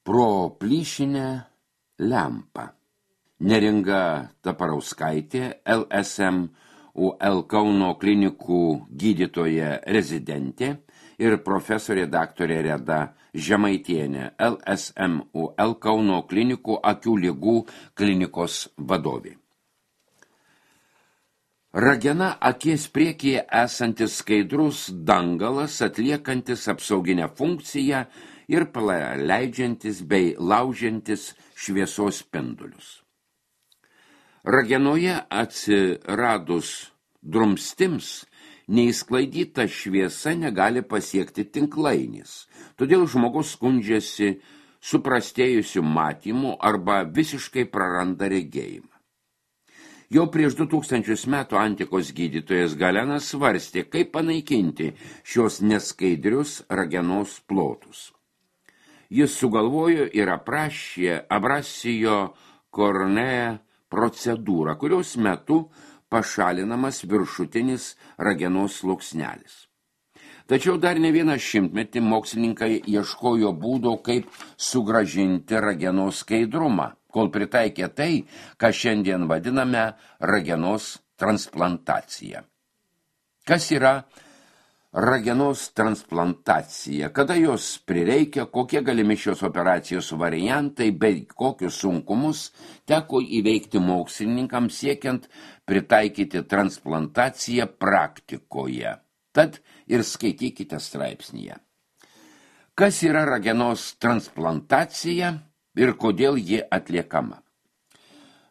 pro plyšinę lempą. Neringa Taparauskaitė, LSMUL Kauno klinikų gydytoja rezidentė ir profesorė daktarė Reda Žemaitienė, LSMUL Kauno klinikų akių ligų klinikos vadovė. Ragena akies priekyje esantis skaidrus dangalas, atliekantis apsauginę funkciją ir paleidžiantis bei laužiantis šviesos spindulius. Ragenoje atsiradus drumstims, neįsklaidyta šviesa negali pasiekti tinklainis, todėl žmogus skundžiasi suprastėjusiu matymu arba visiškai praranda regėjimą. Jau prieš 2000 metų antikos gydytojas Galenas svarstė, kaip panaikinti šios neskaidrius ragenos plotus. Jis sugalvojo ir aprašė abrasijo kornea procedūrą, kurios metu pašalinamas viršutinis ragenos sluoksnelis. Tačiau dar ne vieną šimtmetį mokslininkai ieškojo būdo, kaip sugrąžinti ragenos skaidrumą, kol pritaikė tai, ką šiandien vadiname ragenos transplantacija. Kas yra ragenos transplantacija, kada jos prireikia, kokie galimi šios operacijos variantai, bei kokius sunkumus teko įveikti mokslininkams siekiant pritaikyti transplantaciją praktikoje. Tad ir skaitykite straipsnyje. Kas yra ragenos transplantacija ir kodėl ji atliekama?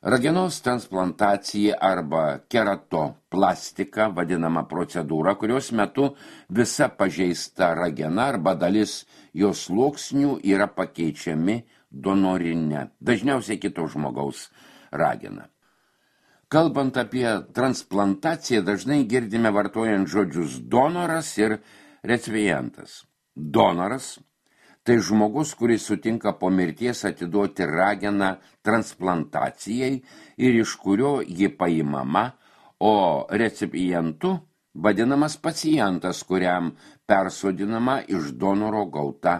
Ragenos transplantacija arba keratoplastika vadinama procedūra, kurios metu visa pažeista ragena arba dalis jos sluoksnių yra pakeičiami donorine, dažniausiai kito žmogaus ragena. Kalbant apie transplantaciją, dažnai girdime vartojant žodžius donoras ir recipientas. Donoras – tai žmogus, kuris sutinka po mirties atiduoti rageną transplantacijai ir iš kurio ji paimama, o recipientu vadinamas pacientas, kuriam persodinama iš donoro gauta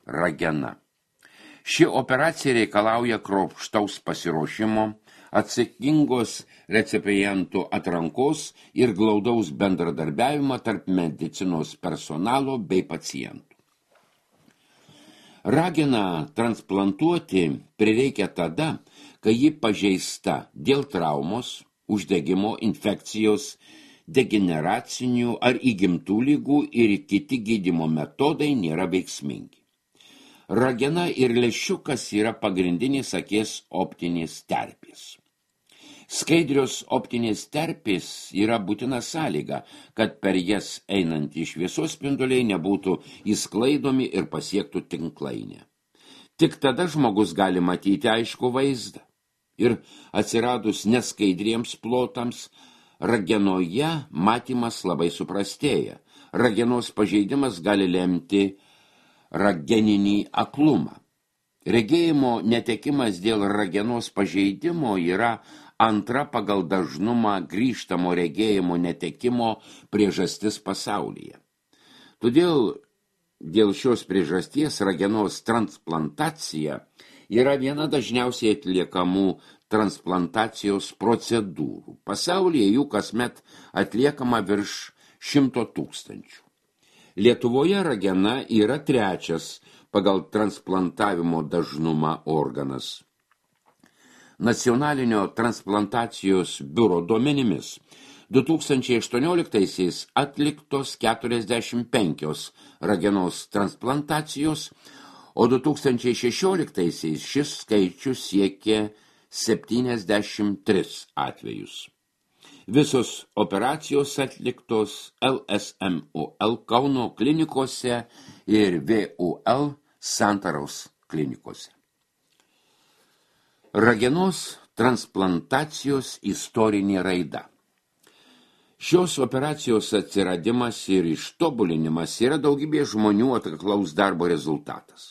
ragena. Ši operacija reikalauja kruopštaus pasiruošimo, atsakingos recipientų atrankos ir glaudaus bendradarbiavimo tarp medicinos personalo bei pacientų. Rageną transplantuoti prireikia tada, kai ji pažeista dėl traumos, uždegimo, infekcijos, degeneracinių ar įgimtų ligų ir kiti gydymo metodai nėra veiksmingi. Ragena ir lęšiukas yra pagrindinės akies optinės terpės. Skaidrios optinės terpės yra būtina sąlyga, kad per jas einantys šviesos spinduliai nebūtų įsklaidomi ir pasiektų tinklainę. Tik tada žmogus gali matyti aiškų vaizdą. Ir atsiradus neskaidriems plotams, ragenoje matymas labai suprastėja. Ragenos pažeidimas gali lemti rageninį aklumą. Regėjimo netekimas dėl ragenos pažeidimo yra antra pagal dažnumą grįžtamo regėjimo netekimo priežastis pasaulyje. Todėl dėl šios priežasties ragenos transplantacija yra viena dažniausiai atliekamų transplantacijos procedūrų. Pasaulyje jų kasmet atliekama virš 100 000. Lietuvoje ragena yra trečias pagal transplantavimo dažnumą organas. Nacionalinio transplantacijos biuro duomenimis 2018-aisiais atliktos 45 ragenos transplantacijos, o 2016-aisiais šis skaičius siekė 73 atvejus. Visos operacijos atliktos LSMUL Kauno klinikose ir VUL Santaros klinikose. Ragenos transplantacijos istorinė raida. Šios operacijos atsiradimas ir ištobulinimas yra daugybė žmonių atkaklaus darbo rezultatas.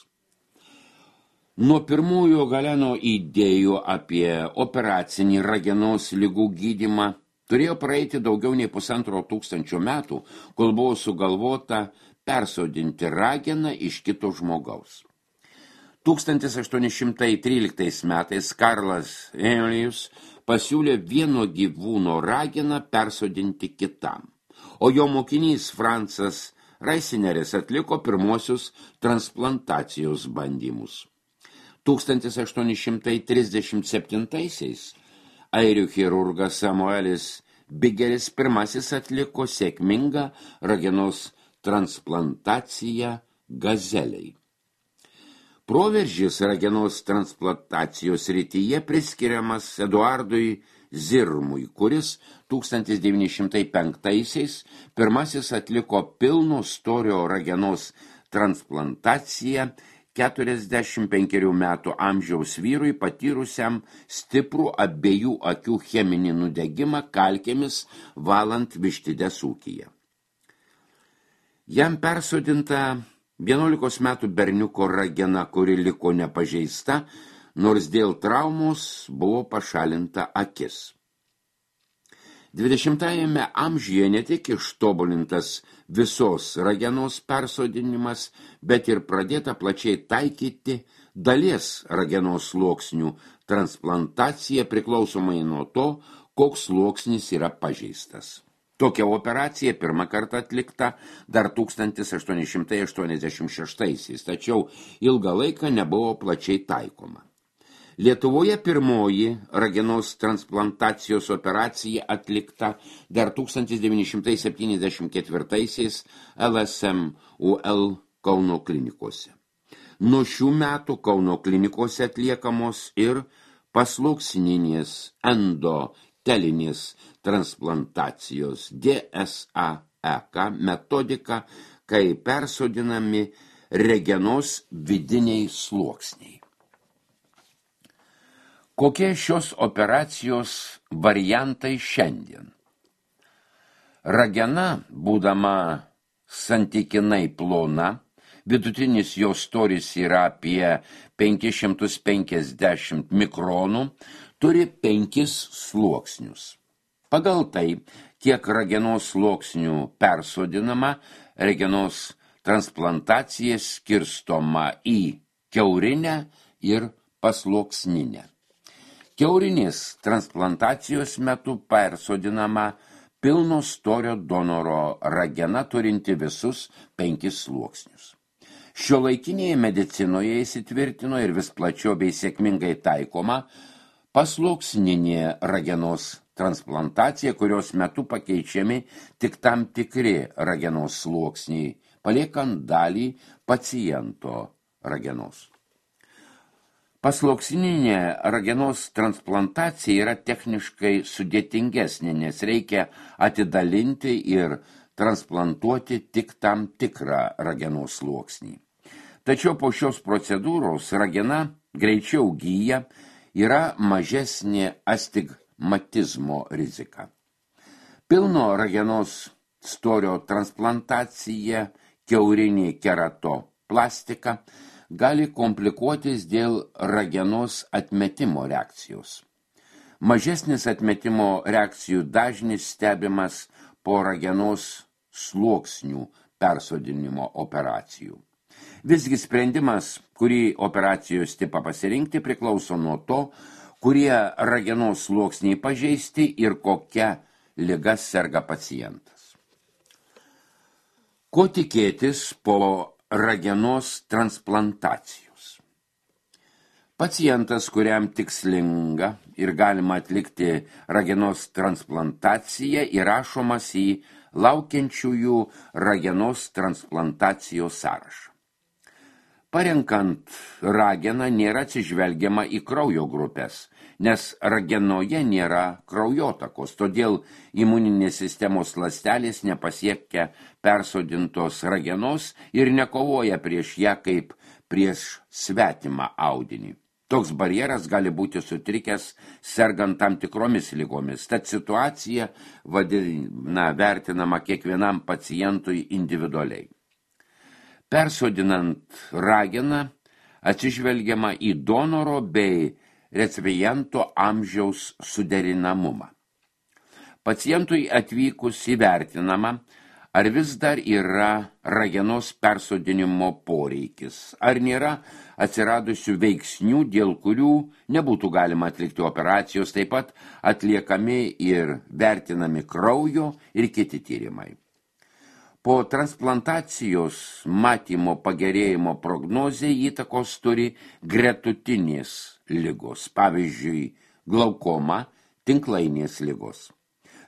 Nuo pirmųjų Galeno idėjų apie operacinį ragenos ligų gydymą turėjo praeiti daugiau nei 1500 metų, kol buvo sugalvota persodinti rageną iš kito žmogaus. 1813 metais Karlas Elijus pasiūlė vieno gyvūno rageną persodinti kitam, o jo mokinys Francas Reisineris atliko pirmosius transplantacijos bandymus. 1837-aisiais airių chirurgas Samuelis Bigeris pirmasis atliko sėkmingą ragenos transplantaciją gazeliai. Proveržis ragenos transplantacijos srityje priskiriamas Eduardui Zirmui, kuris 1905-aisiais pirmasis atliko pilno storio ragenos transplantaciją 45 metų amžiaus vyrui patyrusiam stiprų abiejų akių cheminį nudegimą kalkėmis valant vištides ūkyje. Jam persodinta 11 metų berniuko ragena, kuri liko nepažeista, nors dėl traumos buvo pašalinta akis. 20-ajame amžiuje ne tik ištobulintas visos ragenos persodinimas, bet ir pradėta plačiai taikyti dalies ragenos sluoksnių transplantacija priklausomai nuo to, koks sluoksnis yra pažeistas. Tokia operacija pirmą kartą atlikta dar 1886, tačiau ilgą laiką nebuvo plačiai taikoma. Lietuvoje pirmoji ragenos transplantacijos operacija atlikta dar 1974 LSMUL Kauno klinikose. Nuo šių metų Kauno klinikose atliekamos ir pasluoksninės endotelinės transplantacijos DSAEK metodika, kai persodinami ragenos vidiniai sluoksniai. Kokie šios operacijos variantai šiandien? Ragena, būdama santykinai plona, vidutinis jos storis yra apie 550 mikronų, turi 5 sluoksnius. Pagal tai, kiek ragenos sluoksnių persodinama, ragenos transplantacija skirstoma į kiaurinę ir pasluoksninę. Kiaurinės transplantacijos metu persodinama pilno storio donoro ragena turinti visus 5 sluoksnius. Šiuolaikinėje medicinoje įsitvirtino ir vis plačiau bei sėkmingai taikoma pasluoksninė ragenos transplantacija, kurios metu pakeičiami tik tam tikri ragenos sluoksniai, paliekant dalį paciento ragenos. Pasluoksninė ragenos transplantacija yra techniškai sudėtingesnė, nes reikia atidalinti ir transplantuoti tik tam tikrą ragenos sluoksnį. Tačiau po šios procedūros ragena greičiau gyja, yra mažesnė astigmatizmo rizika. Pilno ragenos storio transplantacija, kiaurinė keratoplastika, gali komplikuotis dėl ragenos atmetimo reakcijos. Mažesnis atmetimo reakcijų dažnis stebimas po ragenos sluoksnių persodinimo operacijų. Visgi sprendimas, kurį operacijos tipą pasirinkti, priklauso nuo to, kurie ragenos sluoksniai pažeisti ir kokia liga serga pacientas. Ko tikėtis po ragenos transplantacijos? Pacientas, kuriam tikslinga ir galima atlikti ragenos transplantaciją, įrašomas į laukiančiųjų ragenos transplantacijos sąrašą. Parenkant rageną nėra atsižvelgiama į kraujo grupės, nes ragenoje nėra kraujotakos, todėl imuninės sistemos ląstelės nepasiekia persodintos ragenos ir nekovoja prieš ją kaip prieš svetimą audinį. Toks barjeras gali būti sutrikęs sergant tam tikromis ligomis, tad situacija vertinama kiekvienam pacientui individualiai. Persodinant rageną atsižvelgiama į donoro bei recipiento amžiaus suderinamumą. Pacientui atvykus įvertinama, ar vis dar yra ragenos persodinimo poreikis, ar nėra atsiradusių veiksnių, dėl kurių nebūtų galima atlikti operacijos, taip pat atliekami ir vertinami kraujo ir kiti tyrimai. Po transplantacijos matymo pagerėjimo prognozė įtakos turi gretutinės ligos, pavyzdžiui, glaukoma, tinklainės ligos.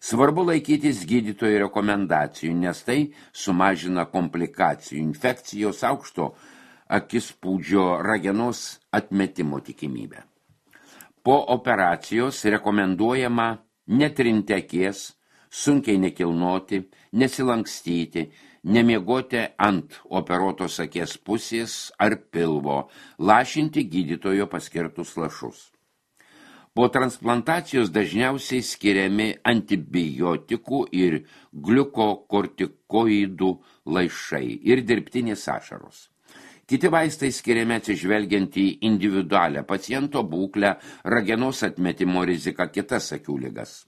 Svarbu laikytis gydytojo rekomendacijų, nes tai sumažina komplikacijų, infekcijos, aukšto akispūdžio ragenos atmetimo tikimybę. Po operacijos rekomenduojama netrinti akies, sunkiai nekilnoti, nesilankstyti, nemiegoti ant operuotos akies pusės ar pilvo, lašinti gydytojo paskirtus lašus. Po transplantacijos dažniausiai skiriami antibiotikų ir gliukokortikoidų lašai ir dirbtinės ašaros. Kiti vaistai skiriami atsižvelgiant į individualią paciento būklę, ragenos atmetimo riziką, kitas akių ligas.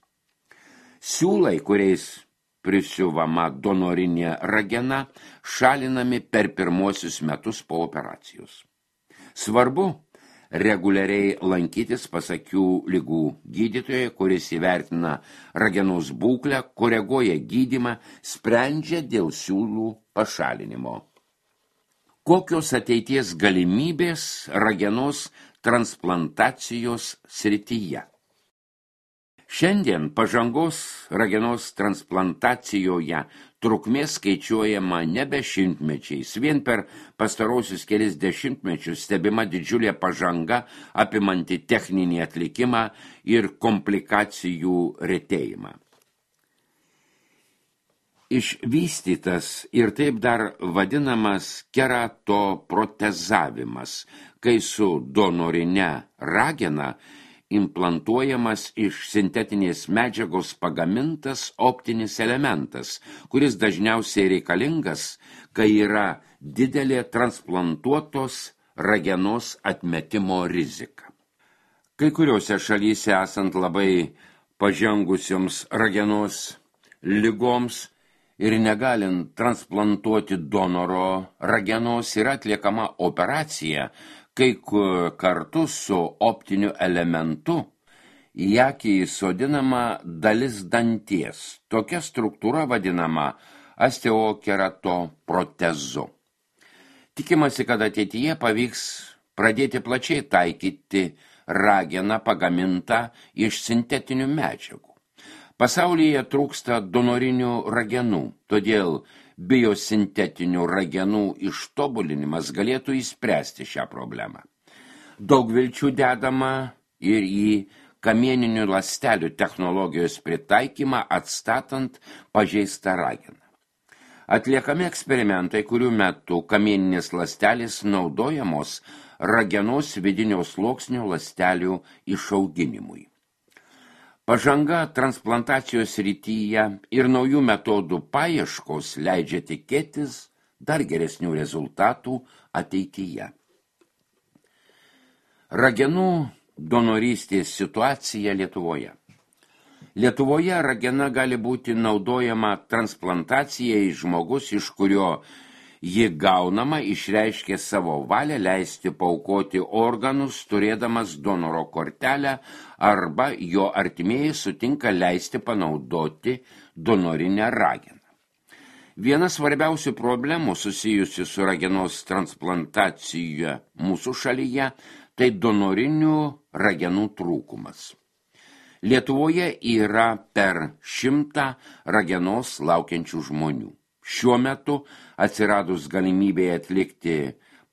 Siūlai, kuriais prisiuvama donorinė ragena, šalinami per pirmuosius metus po operacijos. Svarbu reguliariai lankytis pas akių ligų gydytoją, kuris įvertina ragenos būklę, koreguoja gydymą, sprendžia dėl siūlų pašalinimo. Kokios ateities galimybės ragenos transplantacijos srityje? Šiandien pažangos ragenos transplantacijoje trukmė skaičiuojama nebe šimtmečiais. Vien per pastarosius kelis dešimtmečius stebima didžiulė pažanga apimanti techninį atlikimą ir komplikacijų retėjimą. Išvystytas ir taip dar vadinamas keratoprotezavimas, kai su donorine ragena implantuojamas iš sintetinės medžiagos pagamintas optinis elementas, kuris dažniausiai reikalingas, kai yra didelė transplantuotos ragenos atmetimo rizika. Kai kuriuose šalyse esant labai pažengusioms ragenos ligoms ir negalint transplantuoti donoro ragenos yra atliekama operacija, kai kartu su optiniu elementu į akį įsodinama dalis danties. Tokia struktūra vadinama osteokeratoprotezu. Tikimasi, kad ateityje pavyks pradėti plačiai taikyti rageną pagamintą iš sintetinių medžiagų. Pasaulyje trūksta donorinių ragenų, todėl biosintetinių ragenų ištobulinimas galėtų išspręsti šią problemą. Daug vilčių dedama ir į kamieninių ląstelių technologijos pritaikymą atstatant pažeistą rageną. Atliekami eksperimentai, kurių metu kamieninės ląstelės naudojamos ragenos vidinio sluoksnio ląstelių išauginimui. Pažanga transplantacijos srityje ir naujų metodų paieškos leidžia tikėtis dar geresnių rezultatų ateityje. Ragenų donorystės situacija Lietuvoje. Lietuvoje ragena gali būti naudojama transplantacijai žmogus, iš kurio ji gaunama, išreiškė savo valią leisti paaukoti organus, turėdamas donoro kortelę, arba jo artimieji sutinka leisti panaudoti donorinę rageną. Viena svarbiausių problemų susijusi su ragenos transplantacija mūsų šalyje tai donorinių ragenų trūkumas. Lietuvoje yra per 100 ragenos laukiančių žmonių. Šiuo metu atsiradus galimybėje atlikti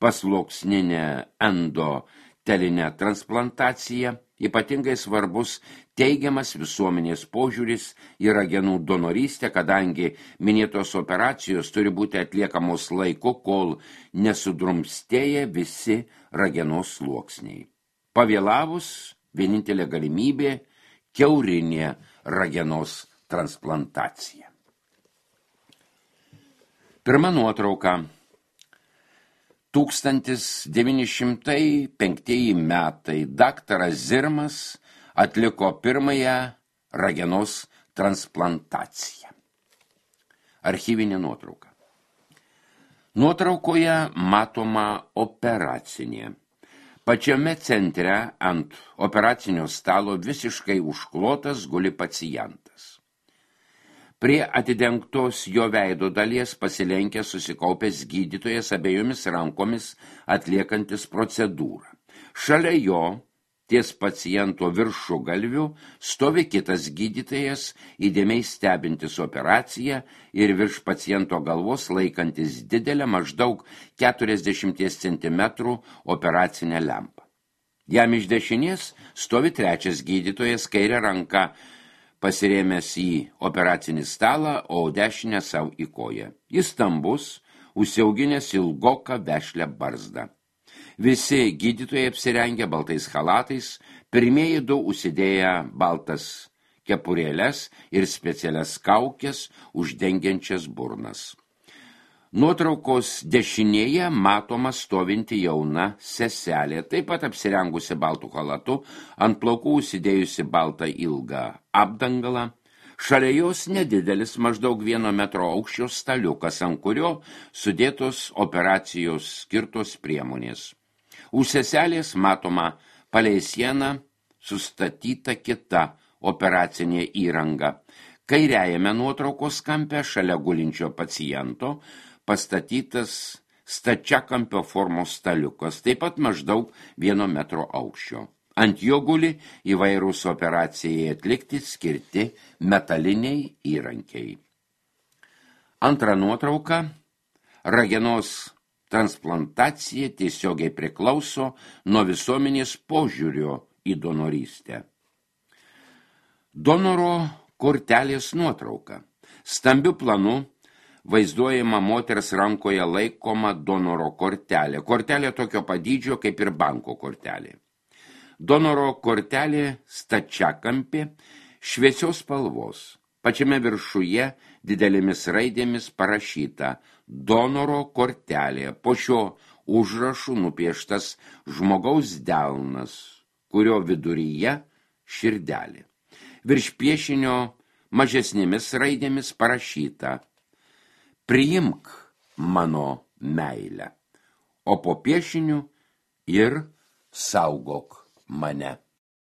pasluoksninę endotelinę transplantaciją, ypatingai svarbus teigiamas visuomenės požiūris į ragenų donorystę, kadangi minėtos operacijos turi būti atliekamos laiku, kol nesudrumstėja visi ragenos sluoksniai. Pavėlavus, vienintelė galimybė – kiaurinė ragenos transplantacija. Pirma nuotrauka. 1905 metai daktaras Zirmas atliko pirmąją ragenos transplantaciją. Archyvinė nuotrauka. Nuotraukoje matoma operacinė. Pačiame centre ant operacinio stalo visiškai užklotas guli pacientas. Prie atidengtos jo veido dalies pasilenkė susikaupęs gydytojas abiejomis rankomis atliekantis procedūrą. Šalia jo, ties paciento viršugalviu, stovi kitas gydytojas, įdėmiai stebintis operaciją ir virš paciento galvos laikantis didelę maždaug 40 cm operacinę lempą. Jam iš dešinės stovi trečias gydytojas, kairę ranką pasirėmęs į operacinį stalą, o dešinę savo į koją. Jis stambus, užsiauginęs ilgoką vešlią barzdą. Visi gydytojai apsirengę baltais chalatais, pirmieji du užsidėję baltas kepurėles ir specialias kaukės uždengiančias burnas. Nuotraukos dešinėje matoma stovinti jauna seselė, taip pat apsirengusi baltų chalatu, ant plaukų užsidėjusi baltą ilgą apdangalą. Šalia jos nedidelis maždaug 1 metro aukščio staliukas, ant kurio sudėtos operacijos skirtos priemonės. Už seselės matoma palei sieną sustatyta kita operacinė įranga. Kairiajame nuotraukos kampe šalia gulinčio paciento pastatytas stačiakampio formos staliukas, taip pat maždaug 1 metro aukščio. Ant jo guli įvairūs operacijai atlikti skirti metaliniai įrankiai. Antra nuotrauka. Ragenos transplantacija tiesiogiai priklauso nuo visuomenės požiūrio į donorystę. Donoro kortelės nuotrauka. Stambiu planu vaizduojama moters rankoje laikoma donoro kortelė. Kortelė tokio padydžio kaip ir banko kortelė. Donoro kortelė stačiakampė, šviesios spalvos. Pačiame viršuje didelėmis raidėmis parašyta donoro kortelė. Po šio užrašų nupieštas žmogaus delnas, kurio viduryje širdelė. Virš piešinio mažesnėmis raidėmis parašyta priimk mano meilę, o po piešiniu ir saugok mane.